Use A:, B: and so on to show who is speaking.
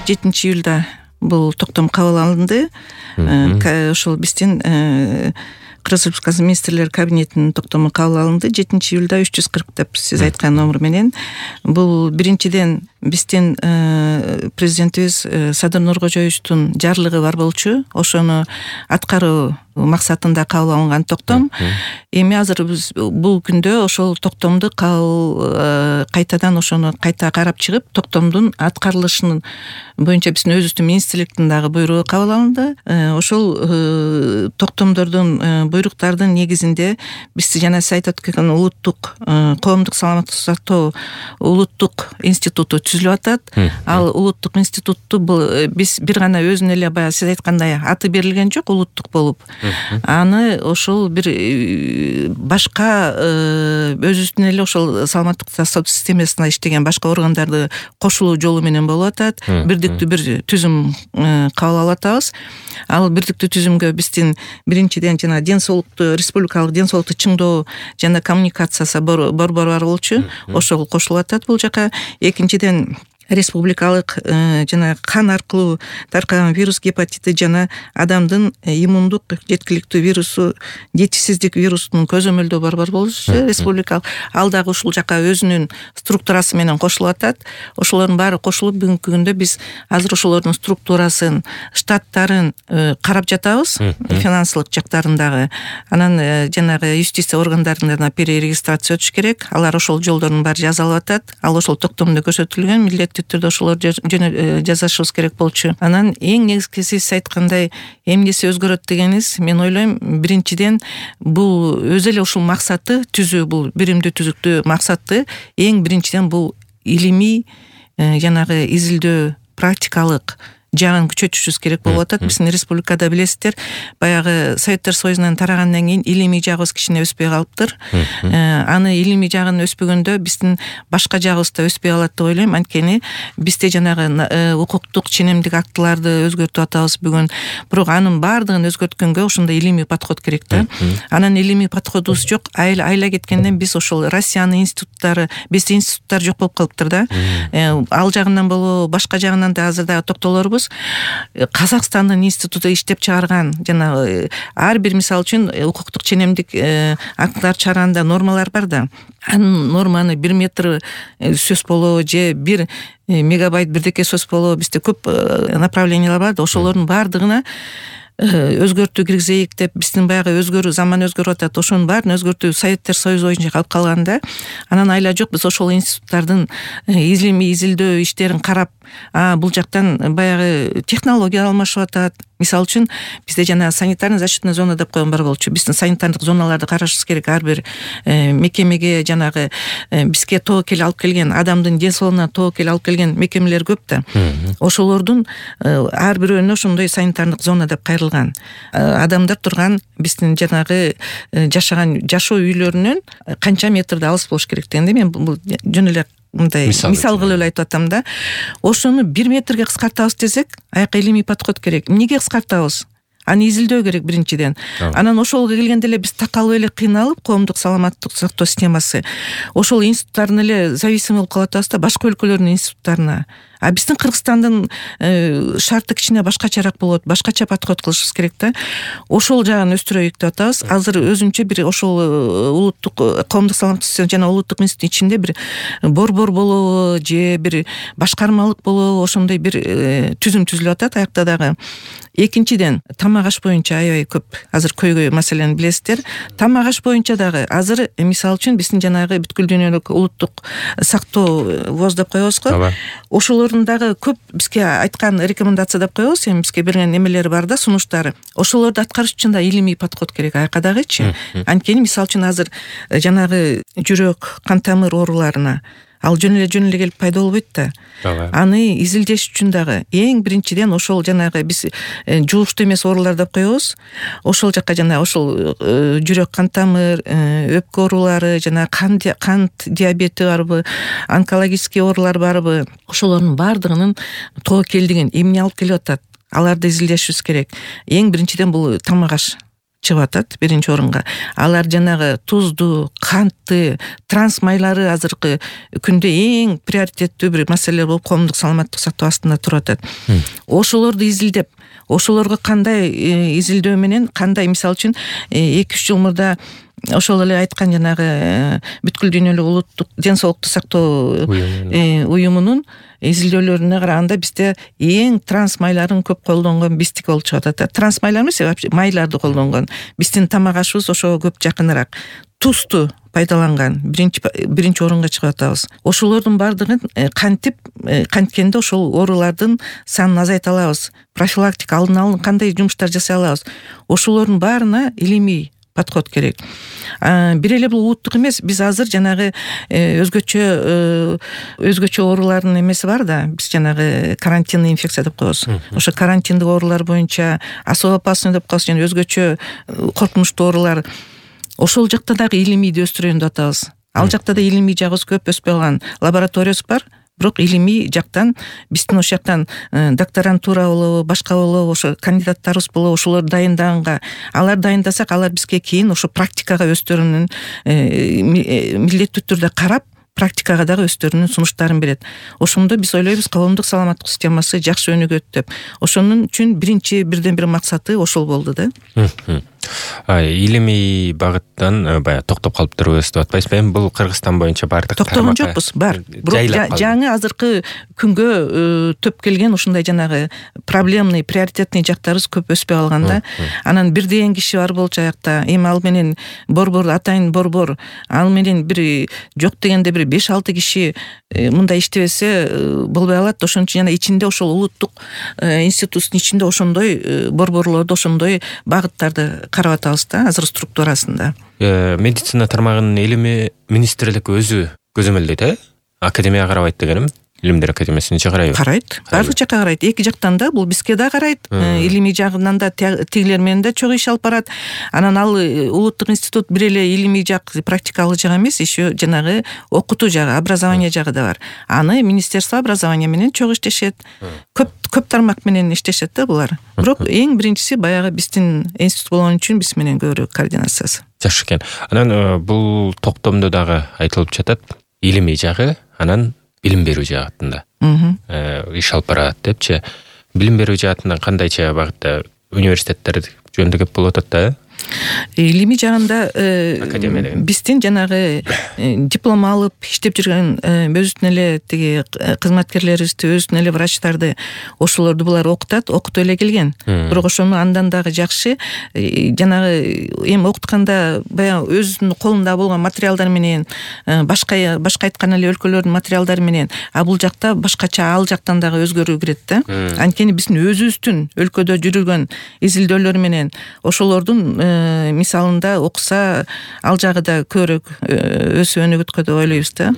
A: 7-июлда бул токтом кабыл алынды. Ошол биздин Кыргыз Республикасы министрлер кабинетинин токтому кабыл алынды 7-июлда 340 деп сиз айткан номер менен. Бул биринчиден биздин президентибиз Садыр Нуркожоевичтун жарлыгы бар болчу. Ошону аткаруу максатында кабыл алынган токтом. Эми азыр биз бул күндө ошол токтомду кайтадан ошону кайта карап чыгып, токтомдун аткарылышынын боюнча биздин өзүбүздүн министрликтин дагы буйругу кабыл алынды. Ошол токтомдордун буйруктардын негизинде биз жана сиз айтып өткөн улуттук коомдук саламаттык сактоо улуттук институту түзүлүп атат. Ал улуттук институтту биз бир гана өзүнө эле баягы сиз айткандай аты берилген жок, улуттук болуп. Аны ошол бир башка өзүбүздүн эле ошол саламаттык сактоо системасына иштеген башка органдарды кошулуу жолу менен болуп атат. Бирдиктүү бир түзүм кабыл алып атабыз. Ал бирдиктүү түзүмгө биздин биринчиден жана республикалык ден соолукту чыңдоо жана коммуникациясы борбору бар болчу. Ошол кошулуп атат бул жака. Экинчиден республикалык жана кан аркылуу таркаган вирус гепатити жана адамдын иммундук жеткиликтүү вирусу жетишсиздик вирусунун көзөмөлдөө борбору болчу республикалык. Ал дагы ушул жака өзүнүн структурасы менен кошулуп атат. Ошолордун баары кошулуп бүгүнкү күндө биз азыр ошолордун структурасын, штаттарын карап жатабыз, финансылык жактарын дагы. Анан жанагы юстиция органдарына перерегистрация өтүш керек. Алар ошол жолдордун баары жазылып атат. Ал ошол токтомдо көрсөтүлгөн. Түрдө ошолорду жазышыбыз керек болчу. Анан эң негизгиси сиз айткандай эмнеси өзгөрөт дегениз, мен ойлойм, биринчиден бул өзү эле ушул максаты түзүү, бул биримдүү түзүктүү максаты эң биринчиден бул илимий жанагы изилдөө, практикалык жагын күчөтүшүбүз керек болуп атат. Биздин республикада билесиздер, баягы Советтер Союзунан тарагандан кийин илимий жагыбыз кичине өспөй калыптыр. Аны илимий жагын өспөгөндө биздин башка жагыбыз да өспөй калат деп ойлойм. Анткени бизде жанагы укуктук ченемдик актыларды өзгөртүп атабыз бүгүн. Бирок анын баардыгын өзгөрткөнгө ошондой илимий подход керек да. Анан илимий подходубуз жок. Айла кеткенден биз ошол Россиянын институттары, бизде институттар жок болуп калыптыр да. Ал жагынан болобу, башка жагынан да азыр дагы токтолорбуз. Казакстандын институту иштеп чыгарган жана ар бир мисал үчүн укуктук ченемдик актылар чыгарганда нормалар бар да. Анын норманы 1 метр сөз болобу же 1 мегабайт бирдеке сөз болобу, бизде көп направлениялар бар да. Ошолордун баардыгына өзгөртүү киргизейик деп биздин баягы заман өзгөрүп атат. Ошонун баарын өзгөртүү Советтер Союзу боюнча калып калганда, анан айла жок биз ошол институттардын изилимий изилдөө иштерин карап, бул жактан баягы технология алмашып атат. Мисалы үчүн бизде жана санитарный защитный зона деп койгон бар болчу. Биздин санитардык зоналарды карашыбыз керек. Ар бир мекемеге жанагы бизге тобокел алып келген, адамдын ден соолугуна тобокел алып келген мекемелер көп да. Ошолордун ар бирөөнө ошондой санитардык зона деп кайрылган. Адамдар турган биздин жанагы жашаган жашоо үйлөрүнөн канча метрде алыс болуш керек дегенде, мен бул жөн эле мындай мисал кылып эле айтып атам да. Ошону 1 метрге кыскартабыз десек, аяка илимий подход керек. Эмнеге кыскартабыз? Аны изилдөө керек биринчиден. Анан ошолго келгенде эле биз такалып эле кыйналып, коомдук саламаттык сактоо системасы ошол институттардын эле зависимый болуп калып атабыз да, башка өлкөлөрдүн институттарына. Биздин Кыргызстандын шарты кичине башкачараак болот, башкача подход кылышыбыз керек да. Ошол жагын өстүрөйүк деп атабыз. Азыр өзүнчө бир ошол улуттук коомдук саламаттык система жана улуттук институт ичинде бир борбор болобу же бир башкармалык болобу, ошондой бир түзүм түзүлүп атат аякта дагы. Экинчиден, тамак аш боюнча аябай көп азыр көйгөй маселени билесиздер. Тамак аш боюнча дагы азыр мисалы үчүн биздин жанагы бүткүл дүйнөлүк улуттук сактоо ВОЗ деп коебуз го. Ошолордун дагы көп бизге айткан рекомендация деп коебуз, эми бизге берген немелери бар да, сунуштары. Ошолорду аткарыш үчүн да илимий подход керек аяка дагычы. Анткени мисалы үчүн азыр жанагы жүрөк, кан тамыр ооруларына ал жөн эле келип пайда болбойт да. Аны изилдеш үчүн дагы эң биринчиден ошол жанагы биз жугуштуу эмес оорулар деп коебуз. Ошол жакка жана ошол жүрөк, кан тамыр, өпкө оорулары, жана кант диабети барбы, онкологический оорулар барбы, ошолордун баардыгынын тобокелдигин эмне алып келип атат? Аларды изилдешибиз керек. Эң биринчиден бул тамак аш. чыгып атат биринчи орунга. Алар жанагы тузду, кантты, транс майлары азыркы күндө эң приоритеттүү бир маселе болуп коомдук саламаттык сактоо астында туруп атат. Ошолорду изилдеп, ошолорго кандай изилдөө менен, кандай мисалы үчүн 2-3 жыл мурда ошол эле айткан жанагы бүткүл дүйнөлүк улуттук ден соолукту сактоо уюмунун изилдөөлөрүнө караганда бизде эң транс майларын көп колдонгон биздики болуп чыгып атат. Транс майлар эмес, вообще майларды колдонгон. Биздин тамак ашыбыз ошого көп жакыныраак. Тузду пайдаланган биринчи орунга чыгып атабыз. Ошолордун бардыгын канткенде ошол оорулардын санын азайта алабыз. Профилактика, алдын алуу кандай жумуштар жасай алабыз. Ошолордун баарына илимий подход керек. Бир эле бул улуттук эмес, биз азыр жанагы өзгөчө оорулардын эмеси бар да. Биз жанагы карантинный инфекция деп коебуз. Ошо карантиндик оорулар боюнча особо опасный деп коебуз, жана өзгөчө коркунучтуу оорулар. Ошол жакта дагы илимийди өстүрөйүн деп атабыз. Ал жакта да илимий жагыбыз көп өспөй калган. Лабораториябыз бар, бирок илимий жактан биздин ошол жактан докторантура болобу, башка болобу, ошо кандидаттарыбыз болобу, ошолор дайындаганга, алар дайындасак, алар бизге кийин ошо практикага өздөрүнүн милдеттүү түрдө карап, практикага дагы өздөрүнүн сунуштарын берет. Ошондо биз ойлойбуз, коомдук саламаттык системасы жакшы өнүгөт деп. Ошонун үчүн бирден бир максаты ошол болду да.
B: Илимий багыттан баягы токтоп калып турбуз деп атпайсызбы? Эми бул Кыргызстан боюнча баардык
A: токтогон жокпуз, бар. Бирок жаңы азыркы күнгө төп келген ушундай жанагы проблемный, приоритетный жактарыбыз көп өспөй калганда, анан бир деген киши бар болчу аякта. Эми ал менен борбор, атайын борбор, ал менен бир жок дегенде бир 5-6 киши мындай иштебесе болбой калат. Ошон үчүн жана ичинде ошол улуттук институттун ичинде ошондой борборлорду, ошондой багыттарды карап атабыз да, азыр структурасында.
B: Медицина тармагынын илимий министрлик өзү көзөмөлдөйт, академияга карабайт дегеним. Илимдер академиясына карайбы?
A: Карайт. Бардык жакка карайт. Эки жактан да, бул бизге да карайт. Илимий жагынан да тигилер менен да чогуу иш алып барат. Анан ал улуттук институт бир эле илимий жак, практикалык жак эмес, еще жанагы окутуу жагы, образование жагы да бар. Аны министерство образования менен чогуу иштешет. Көп тармак менен иштешет да булар. Бирок эң биринчиси баягы биздин институт болгон үчүн биз менен көбүрөөк координациясы.
B: Жакшы экен. Анан бул токтомдо дагы айтылып жатат, илимий жагы, анан билим берүү жаатында иш алып барат депчи. Билим берүү жаатынан кандайча багытта университеттер жөнүндө кеп болуп атат да?
A: Илимий жагында биздин жанагы диплом алып иштеп жүргөн өзүнүн эле тиги кызматкерлерибизди, өзүнүн эле врачтарды, ошолорду булар окутат, окутуп эле келген. Бирок ошону андан дагы жакшы жанагы эми окутканда баягы өзүнүн колунда болгон материалдар менен, башка айткан эле өлкөлөрдүн материалдары менен, а бул жакта башкача, ал жактан дагы өзгөрүү кирет да. Анткени биздин өзүбүздүн өлкөдө жүргөн изилдөөлөр менен ошолордун мисалында окуса, ал жагы да көбүрөөк өсүп өнүгөткө деп ойлойбуз да.